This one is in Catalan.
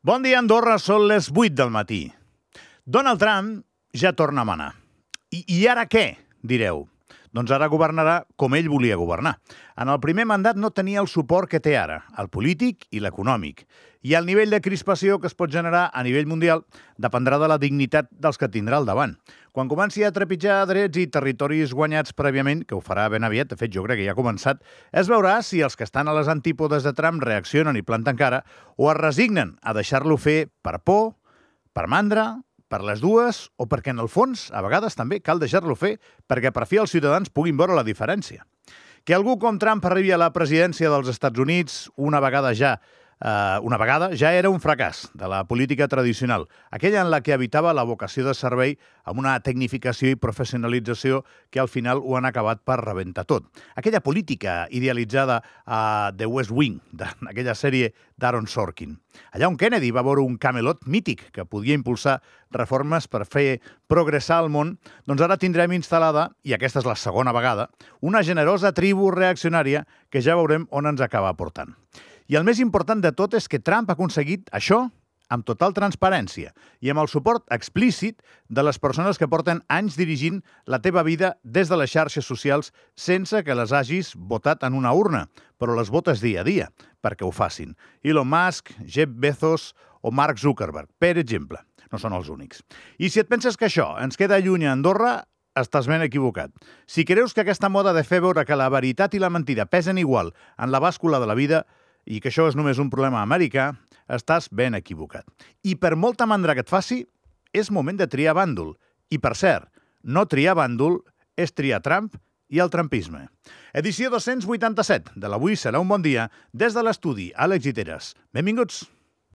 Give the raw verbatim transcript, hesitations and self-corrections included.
Bon dia, Andorra, són les vuit del matí. Donald Trump ja torna a manar. I, i ara què, direu? Doncs ara governarà com ell volia governar. En el primer mandat no tenia el suport que té ara, el polític i l'econòmic. I el nivell de crispació que es pot generar a nivell mundial dependrà de la dignitat dels que tindrà al davant. Quan comenci a trepitjar drets i territoris guanyats prèviament, que ho farà ben aviat, de fet jo crec que ja ha començat, es veurà si els que estan a les antípodes de Trump reaccionen i planten cara o es resignen a deixar-lo fer per por, per mandra, per les dues o perquè, en el fons, a vegades també cal deixar-lo fer perquè per fi els ciutadans puguin veure la diferència. Que algú com Trump arribi a la presidència dels Estats Units una vegada ja Uh, una vegada ja era un fracàs de la política tradicional, aquella en la que habitava la vocació de servei amb una tecnificació i professionalització que al final ho han acabat per rebentar tot. Aquella política idealitzada a The West Wing, d'aquella sèrie d'Aaron Sorkin. Allà on Kennedy va veure un Camelot mític que podia impulsar reformes per fer progressar el món, doncs ara tindrem instal·lada, i aquesta és la segona vegada, una generosa tribu reaccionària que ja veurem on ens acaba portant. I el més important de tot és que Trump ha aconseguit això amb total transparència i amb el suport explícit de les persones que porten anys dirigint la teva vida des de les xarxes socials sense que les hagis votat en una urna, però les votes dia a dia perquè ho facin. Elon Musk, Jeff Bezos o Mark Zuckerberg, per exemple. No són els únics. I si et penses que això ens queda lluny a Andorra, estàs ben equivocat. Si creus que aquesta moda de fer veure que la veritat i la mentida pesen igual en la bàscula de la vida i que això és només un problema americà, estàs ben equivocat. I per molta mandra que et faci, és moment de triar bàndol. I per cert, no triar bàndol és triar Trump i el trumpisme. Edició dos-cents vuitanta-set de l'Avui serà un bon dia des de l'estudi Àlex Giteres. Benvinguts!